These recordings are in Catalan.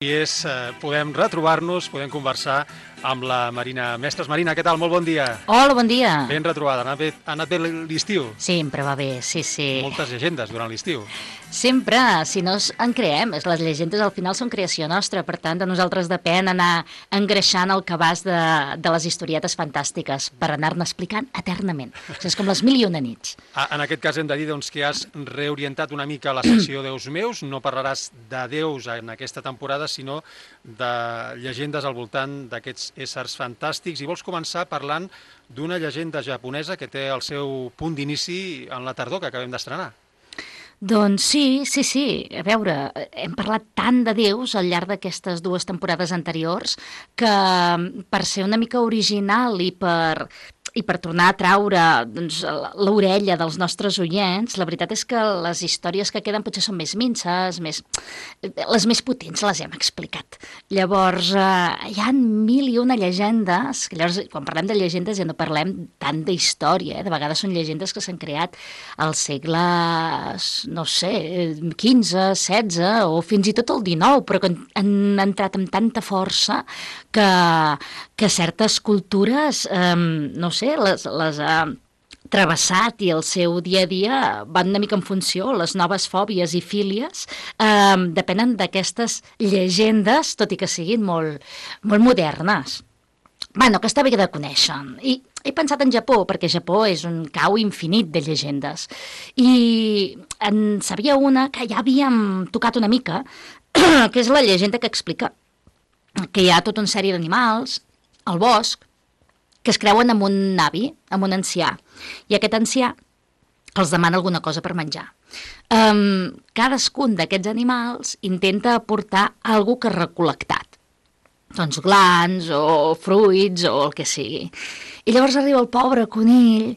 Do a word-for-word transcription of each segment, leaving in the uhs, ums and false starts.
I és, eh, podem retrobar-nos, podem conversar amb la Marina Mestres. Marina, què tal? Molt bon dia. Hola, bon dia. Ben retrobada. Ha anat bé, ha anat bé l'estiu? Sempre va bé, sí, sí. Moltes llegendes durant l'estiu. Sempre, si no en creem, les llegendes al final són creació nostra, per tant, de nosaltres depèn anar engreixant el cabàs de, de les historietes fantàstiques per anar-ne explicant eternament. O sigui, és com les mil i una nits. En aquest cas hem de dir doncs, que has reorientat una mica la secció Déus meus. No parlaràs de déus en aquesta temporada, sinó de llegendes al voltant d'aquests éssers fantàstics. I vols començar parlant d'una llegenda japonesa que té el seu punt d'inici en la tardor que acabem d'estrenar. Doncs sí, sí, sí. A veure, hem parlat tant de déus al llarg d'aquestes dues temporades anteriors que per ser una mica original i per... i per tornar a traure doncs, l'orella dels nostres oients, la veritat és que les històries que queden potser són més minces, més... les més potents les hem explicat. Llavors, eh, hi ha mil i una llegendes, que llavors, quan parlem de llegendes ja no parlem tant d'història, eh? De vegades són llegendes que s'han creat al segle, no sé, quinze, setze o fins i tot el dinou, però que han entrat amb tanta força que, que certes cultures, eh, no sé, les, les ha travessat i el seu dia a dia van una mica en funció, les noves fòbies i fílies eh, depenen d'aquestes llegendes, tot i que siguin molt, molt modernes. Bueno, que està bé de conèixer. I he pensat en Japó, perquè Japó és un cau infinit de llegendes. I en sabia una que ja havíem tocat una mica, que és la llegenda que explica que hi ha tota una sèrie d'animals al bosc que es creuen amb un avi, amb un ancià, i aquest ancià els demana alguna cosa per menjar. Um, cadascun d'aquests animals intenta aportar alguna que ha recol·lectat, doncs glans o fruits o el que sigui. I llavors arriba el pobre conill,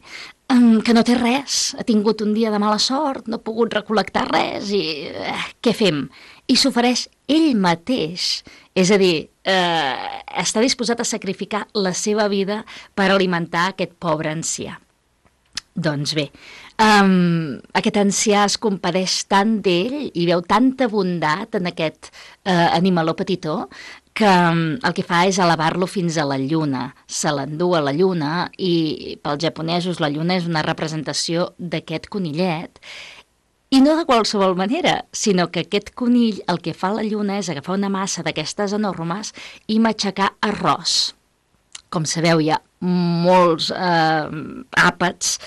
um, que no té res, ha tingut un dia de mala sort, no ha pogut recol·lectar res i eh, què fem? I s'ofereix ell mateix, és a dir, eh, està disposat a sacrificar la seva vida per alimentar aquest pobre ancià. Doncs bé, um, aquest ancià es compadeix tant d'ell i veu tanta bondat en aquest eh, animaló petitó que um, el que fa és elevar-lo fins a la lluna. Se l'endú a la lluna i pels japonesos la lluna és una representació d'aquest conillet. I no de qualsevol manera, sinó que aquest conill el que fa a la lluna és agafar una massa d'aquestes enormes i matxacar arròs. Com sabeu, hi ha molts eh, àpats,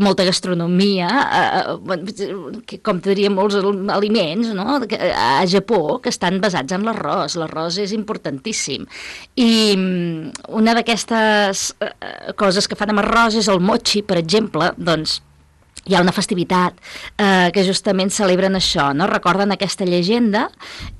molta gastronomia, eh, com te diria, molts aliments, no? A Japó que estan basats en l'arròs. L'arròs és importantíssim. I una d'aquestes eh, coses que fan amb arròs és el mochi, per exemple, doncs hi ha una festivitat eh, que justament celebren això, no? Recorden aquesta llegenda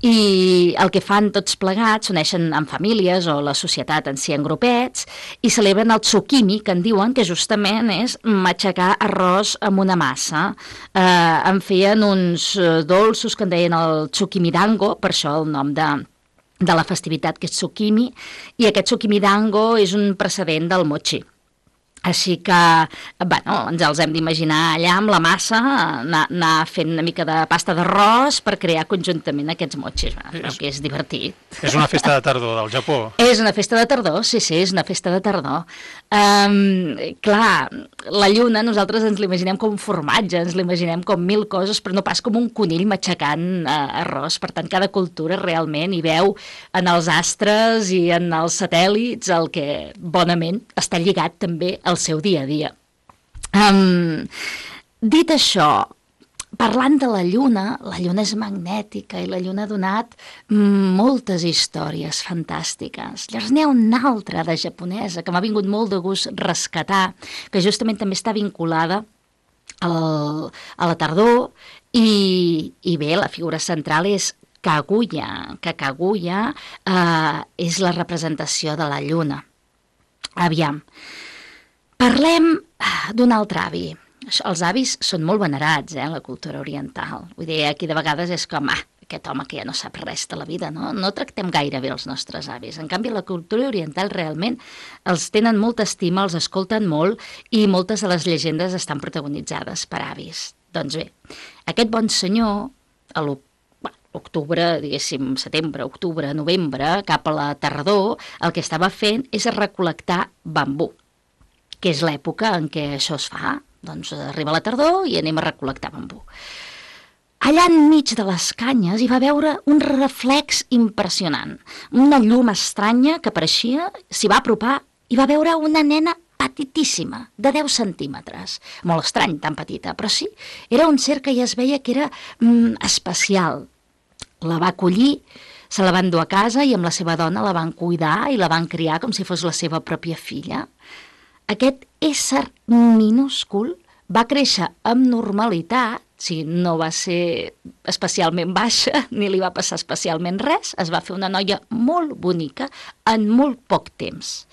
i el que fan tots plegats, s'uneixen en famílies o la societat en si en grupets i celebren el tsukimi, que en diuen que justament és matxacar arròs amb una massa. Eh, en feien uns dolços que en deien el tsukimidango, per això el nom de... de la festivitat, que és tsukimi, i aquest tsukimidango és un precedent del mochi. Així que, bueno, ens els hem d'imaginar allà amb la massa, anar, anar fent una mica de pasta d'arròs per crear conjuntament aquests mochis, és, que és divertit. És una festa de tardor del Japó. És una festa de tardor, sí, sí, és una festa de tardor. Um, clar, la lluna nosaltres ens l'imaginem com un formatge, ens l'imaginem com mil coses, però no pas com un conill matxacant uh, arròs. Per tant, cada cultura realment hi veu en els astres i en els satèl·lits el que bonament està lligat també al seu dia a dia. Um, dit això, parlant de la lluna, la lluna és magnètica i la lluna ha donat moltes històries fantàstiques. Llavors n'hi ha una altra de japonesa que m'ha vingut molt de gust rescatar, que justament també està vinculada al, a la tardor i, i bé, la figura central és Kaguya, que Kaguya eh, és la representació de la lluna. Aviam, parlem d'un altre avi. Els avis són molt venerats, eh, en la cultura oriental. Vull dir, aquí de vegades és com, ah, aquest home que ja no sap res de la vida, no? No tractem gaire bé els nostres avis. En canvi, la cultura oriental realment els tenen molta estima, els escolten molt i moltes de les llegendes estan protagonitzades per avis. Doncs bé, aquest bon senyor, a lo octubre, diguéssim, setembre, octubre, novembre, cap a la tardor, el que estava fent és recol·lectar bambú, que és l'època en què això es fa. Doncs arriba la tardor i anem a recol·lectar bambú. Allà enmig de les canyes hi va veure un reflex impressionant, una llum estranya que apareixia, s'hi va apropar i va veure una nena petitíssima, de deu centímetres. Molt estrany, tan petita, però sí, era un ser que ja es veia que era mm, especial. La va acollir, se la van dur a casa i amb la seva dona la van cuidar i la van criar com si fos la seva pròpia filla. Aquest ésser minúscul va créixer amb normalitat, si no va ser especialment baixa, ni li va passar especialment res, es va fer una noia molt bonica en molt poc temps.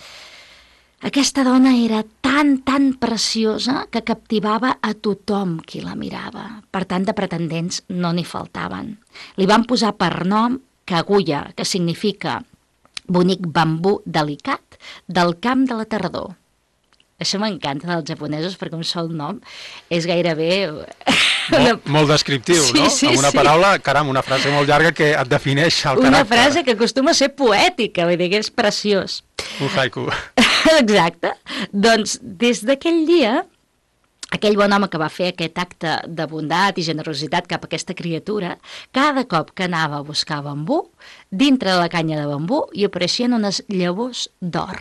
Aquesta dona era tan, tan preciosa que captivava a tothom qui la mirava. Per tant, de pretendents no n'hi faltaven. Li van posar per nom Kaguya, que significa bonic bambú delicat del camp de la tardor. Això m'encanta dels japonesos perquè un sol nom és gairebé... Molt, molt descriptiu, sí, no? Sí, amb una sí. paraula, caram, una frase molt llarga que et defineix el una caràcter. Una frase que acostuma a ser poètica, vull dir que és preciós. Un haiku. Exacte. Doncs des d'aquell dia, aquell bon home que va fer aquest acte de bondat i generositat cap a aquesta criatura, cada cop que anava a buscar bambú, dintre de la canya de bambú hi apareixien unes llavors d'or.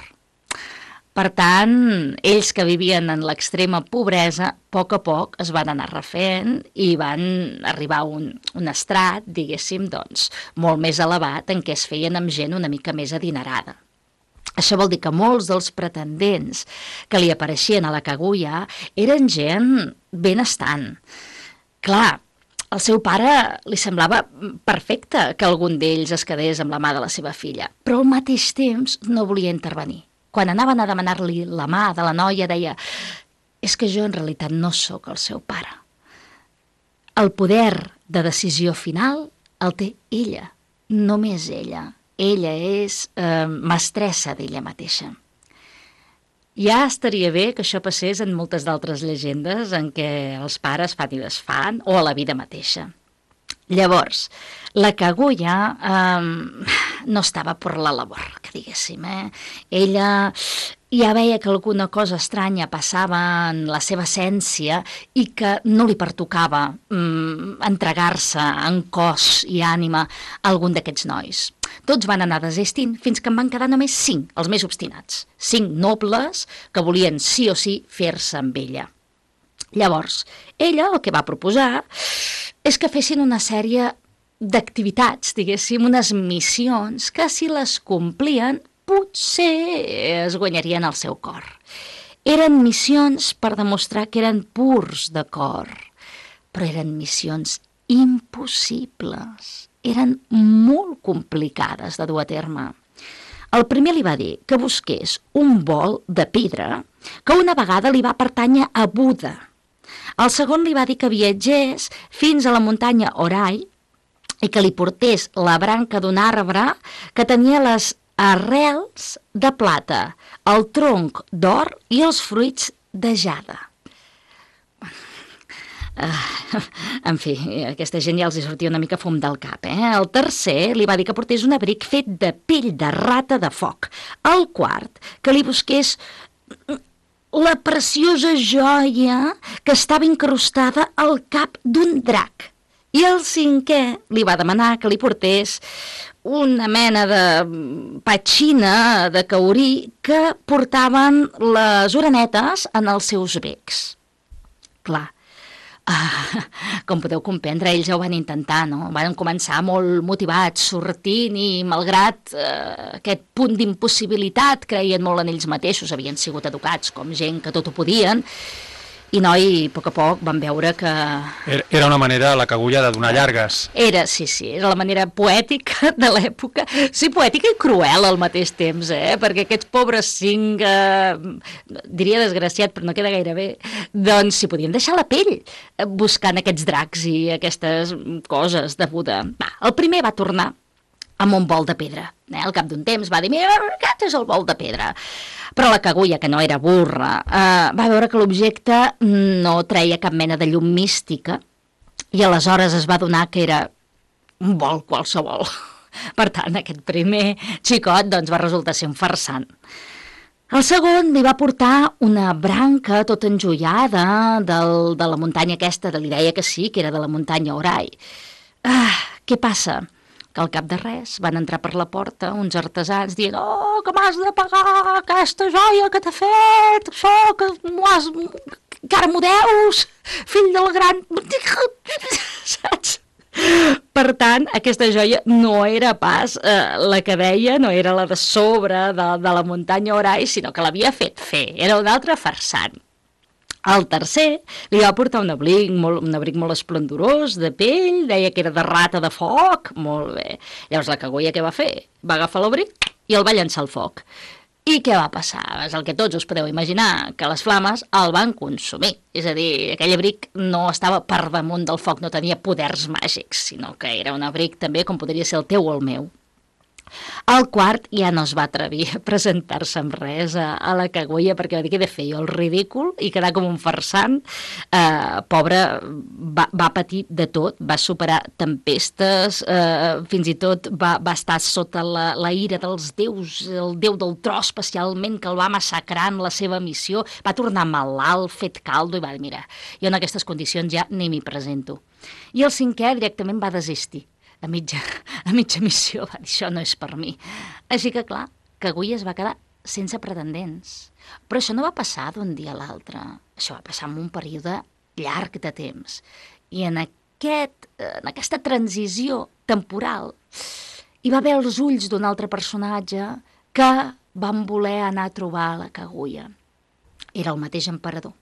Per tant, ells que vivien en l'extrema pobresa, a poc a poc es van anar refent i van arribar a un, un estrat, diguéssim, doncs, molt més elevat en què es feien amb gent una mica més adinerada. Això vol dir que molts dels pretendents que li apareixien a la Kaguya eren gent benestant. Clar, al seu pare li semblava perfecte que algun d'ells es quedés amb la mà de la seva filla, però al mateix temps no volia intervenir. Quan anaven a demanar-li la mà de la noia, deia «És que jo en realitat no sóc el seu pare». El poder de decisió final el té ella, només ella. Ella és eh, mestressa d'ella mateixa. Ja estaria bé que això passés en moltes d'altres llegendes en què els pares fan i desfan, o a la vida mateixa. Llavors, la Kaguya eh, no estava per la labor, que diguéssim. Eh? Ella ja veia que alguna cosa estranya passava en la seva essència i que no li pertocava mm, entregar-se en cos i ànima a algun d'aquests nois. Tots van anar desistint fins que en van quedar només cinc, els més obstinats. Cinc nobles que volien sí o sí fer-se amb ella. Llavors, ella el que va proposar és que fessin una sèrie d'activitats, diguéssim, unes missions que si les complien potser es guanyarien el seu cor. Eren missions per demostrar que eren purs de cor, però eren missions impossibles, eren molt complicades de dur a terme. El primer li va dir que busqués un bol de pedra que una vegada li va pertànyer a Buda. El segon li va dir que viatgés fins a la muntanya Orai i que li portés la branca d'un arbre que tenia les arrels de plata, el tronc d'or i els fruits de jade. Uh, en fi, a aquesta gent ja els hi sortia una mica fum del cap. Eh? El tercer li va dir que portés un abric fet de pell de rata de foc. El quart, que li busqués la preciosa joia que estava incrustada al cap d'un drac. I el cinquè li va demanar que li portés una mena de petxina de caurí que portaven les orenetes en els seus becs. Clar, uh, com podeu comprendre, ells ja ho van intentar, no? Van començar molt motivats, sortint i, malgrat uh, aquest punt d'impossibilitat, creien molt en ells mateixos, havien sigut educats com gent que tot ho podien, i noi, a poc a poc, van veure que... Era una manera, la Kaguya, de donar llargues. Era, sí, sí, era la manera poètica de l'època. Sí, poètica i cruel al mateix temps, eh? Perquè aquests pobres cinc, eh, diria desgraciat, però no queda gaire bé, doncs s'hi podien deixar la pell buscant aquests dracs i aquestes coses de Buda. Va, el primer va tornar amb un bol de pedra. Eh? Al cap d'un temps va dir, mira, aquest és el bol de pedra. Però la Kaguya, que no era burra, eh, va veure que l'objecte no treia cap mena de llum mística i aleshores es va adonar que era un vol qualsevol. Per tant, aquest primer xicot doncs, va resultar ser un farsant. El segon li va portar una branca tota enjoiada del, de la muntanya aquesta, li deia que sí, que era de la muntanya Orai. Ah, què passa? Que al cap de res van entrar per la porta uns artesans dient «Oh, que m'has de pagar aquesta joia que t'ha fet, això, que m'ho has... que ara m'ho deus, fill del gran...» Saps? Per tant, aquesta joia no era pas eh, la que deia, no era la de sobre de, de la muntanya Orai, sinó que l'havia fet fer, era un altre farsant. El tercer li va portar un abric molt, un abric molt esplendorós, de pell, deia que era de rata de foc, molt bé. Llavors la cagolla què va fer? Va agafar l'abric i el va llançar al foc. I què va passar? És el que tots us podeu imaginar, que les flames el van consumir. És a dir, aquell abric no estava per damunt del foc, no tenia poders màgics, sinó que era un abric també com podria ser el teu o el meu. El quart ja no es va atrevir a presentar-se amb res a, a la cagolla perquè va dir que he de fer jo el ridícul i quedar com un farsant. Eh, pobre, va, va patir de tot, va superar tempestes, eh, fins i tot va, va estar sota la, la ira dels déus, el déu del tro especialment, que el va massacrar en la seva missió, va tornar malalt, fet caldo i va dir, mira, jo en aquestes condicions ja ni m'hi presento. I el cinquè directament va desistir. A mitja, a mitja missió va dir, això no és per mi. Així que, clar, Kaguya es va quedar sense pretendents. Però això no va passar d'un dia a l'altre. Això va passar en un període llarg de temps. I en, aquest, en aquesta transició temporal hi va haver els ulls d'un altre personatge que van voler anar a trobar la Kaguya. Era el mateix emperador.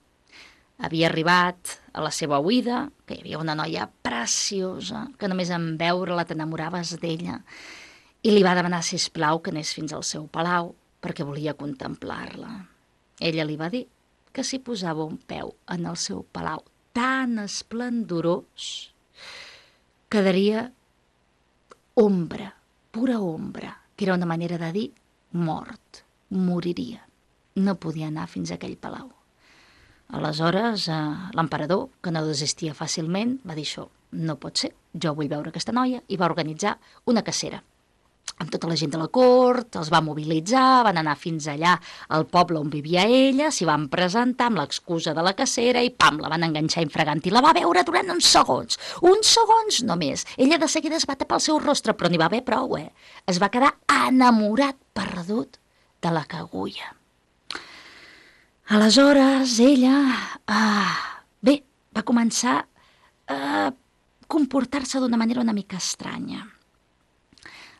Havia arribat a la seva oïda, que hi havia una noia preciosa, que només en veure-la t'enamoraves d'ella, i li va demanar, sisplau, que anés fins al seu palau, perquè volia contemplar-la. Ella li va dir que si posava un peu en el seu palau tan esplendorós, quedaria ombra, pura ombra, que era una manera de dir mort, moriria. No podia anar fins a aquell palau. Aleshores, eh, l'emperador, que no desistia fàcilment, va dir això, no pot ser, jo vull veure aquesta noia, i va organitzar una cacera. Amb tota la gent de la cort, els va mobilitzar, van anar fins allà al poble on vivia ella, s'hi van presentar amb l'excusa de la cacera i pam, la van enganxar infragant i la va veure durant uns segons, uns segons només. Ella de seguida es va tapar el seu rostre, però n'hi va haver prou, eh? Es va quedar enamorat, perdut, de la Kaguya. Aleshores, ella, ah, bé, va començar a comportar-se d'una manera una mica estranya.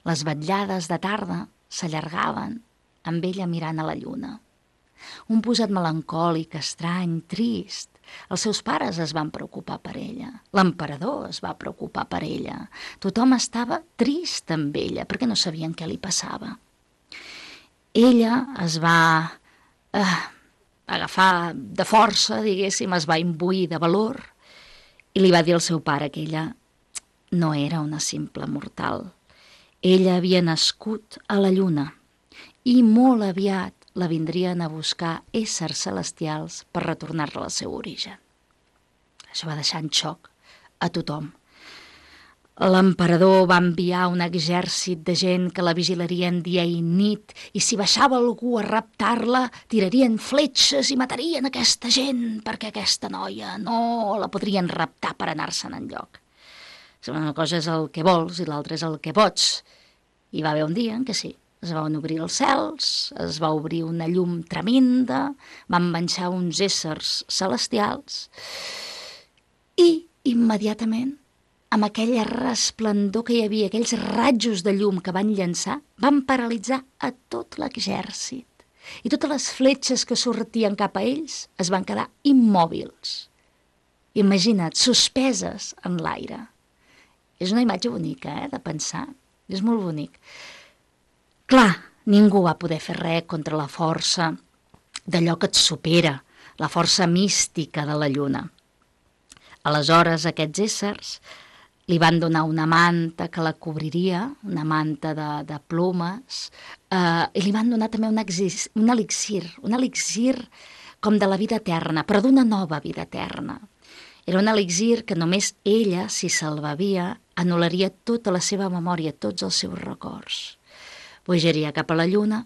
Les vetllades de tarda s'allargaven amb ella mirant a la lluna. Un posat melancòlic, estrany, trist. Els seus pares es van preocupar per ella. L'emperador es va preocupar per ella. Tothom estava trist amb ella perquè no sabien què li passava. Ella es va... Eh, agafar de força, diguéssim, es va imbuir de valor i li va dir al seu pare que ella no era una simple mortal. Ella havia nascut a la lluna i molt aviat la vindrien a buscar éssers celestials per retornar-la al seu origen. Això va deixar en xoc a tothom. L'emperador va enviar un exèrcit de gent que la vigilarien dia i nit i si baixava algú a raptar-la, tirarien fletxes i matarien aquesta gent perquè aquesta noia no la podrien raptar per anar-se'n enlloc. Una cosa és el que vols i l'altra és el que pots. Hi va haver un dia en què sí, es van obrir els cels, es va obrir una llum tremenda, van baixar uns éssers celestials i immediatament amb aquell resplendor que hi havia, aquells ratjos de llum que van llançar, van paralitzar a tot l'exèrcit. I totes les fletxes que sortien cap a ells es van quedar immòbils. Imagina't, suspeses en l'aire. És una imatge bonica, eh, de pensar. És molt bonic. Clar, ningú va poder fer res contra la força d'allò que et supera, la força mística de la lluna. Aleshores, aquests éssers li van donar una manta que la cobriria, una manta de, de plomes, eh, i li van donar també un, exis, un elixir, un elixir com de la vida eterna, però d'una nova vida eterna. Era un elixir que només ella, si se'l bevia, anul·laria tota la seva memòria, tots els seus records. Pujaria cap a la lluna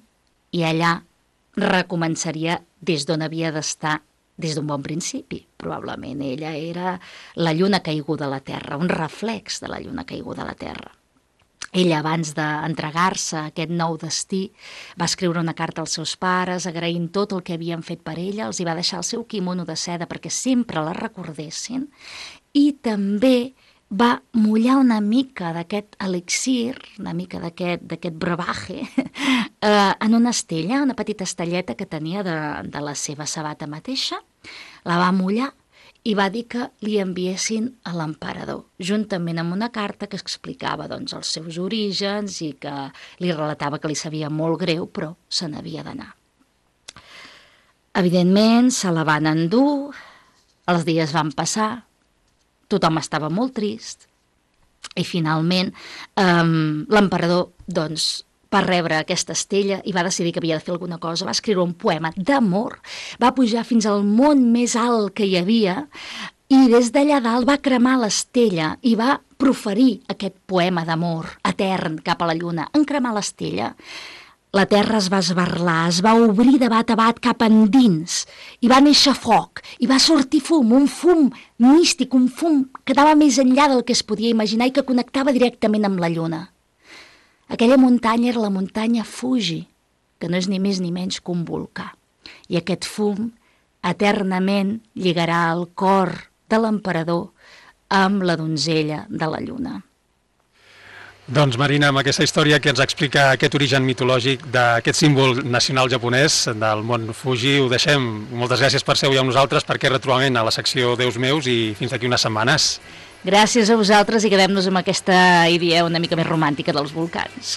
i allà recomençaria des d'on havia d'estar des d'un bon principi. Probablement ella era la lluna caiguda a la Terra, un reflex de la lluna caiguda a la Terra. Ella, abans d'entregar-se a aquest nou destí, va escriure una carta als seus pares, agraint tot el que havien fet per ella, els hi va deixar el seu quimono de seda perquè sempre la recordessin, i també va mullar una mica d'aquest elixir, una mica d'aquest d'aquest brebaje, eh, en una estella, una petita estelleta que tenia de, de la seva sabata mateixa, la va mullar i va dir que li enviessin a l'emperador, juntament amb una carta que explicava doncs, els seus orígens i que li relatava que li sabia molt greu, però se n'havia d'anar. Evidentment, se la van endur, els dies van passar, tothom estava molt trist i finalment eh, l'emperador doncs, va rebre aquesta estella i va decidir que havia de fer alguna cosa, va escriure un poema d'amor, va pujar fins al món més alt que hi havia i des d'allà dalt va cremar l'estella i va proferir aquest poema d'amor etern cap a la lluna. En cremar l'estella, la terra es va esbarlar, es va obrir de bat a bat cap endins i va néixer foc i va sortir fum, un fum místic, un fum que anava més enllà del que es podia imaginar i que connectava directament amb la lluna. Aquella muntanya era la muntanya Fuji, que no és ni més ni menys que un volcà. I aquest fum eternament lligarà el cor de l'emperador amb la donzella de la lluna. Doncs Marina, amb aquesta història que ens explica aquest origen mitològic d'aquest símbol nacional japonès del mont Fuji, ho deixem. Moltes gràcies per ser avui amb nosaltres, per aquest retrobament a la secció Déus meus i fins d'aquí unes setmanes. Gràcies a vosaltres i quedem-nos amb aquesta idea una mica més romàntica dels volcans.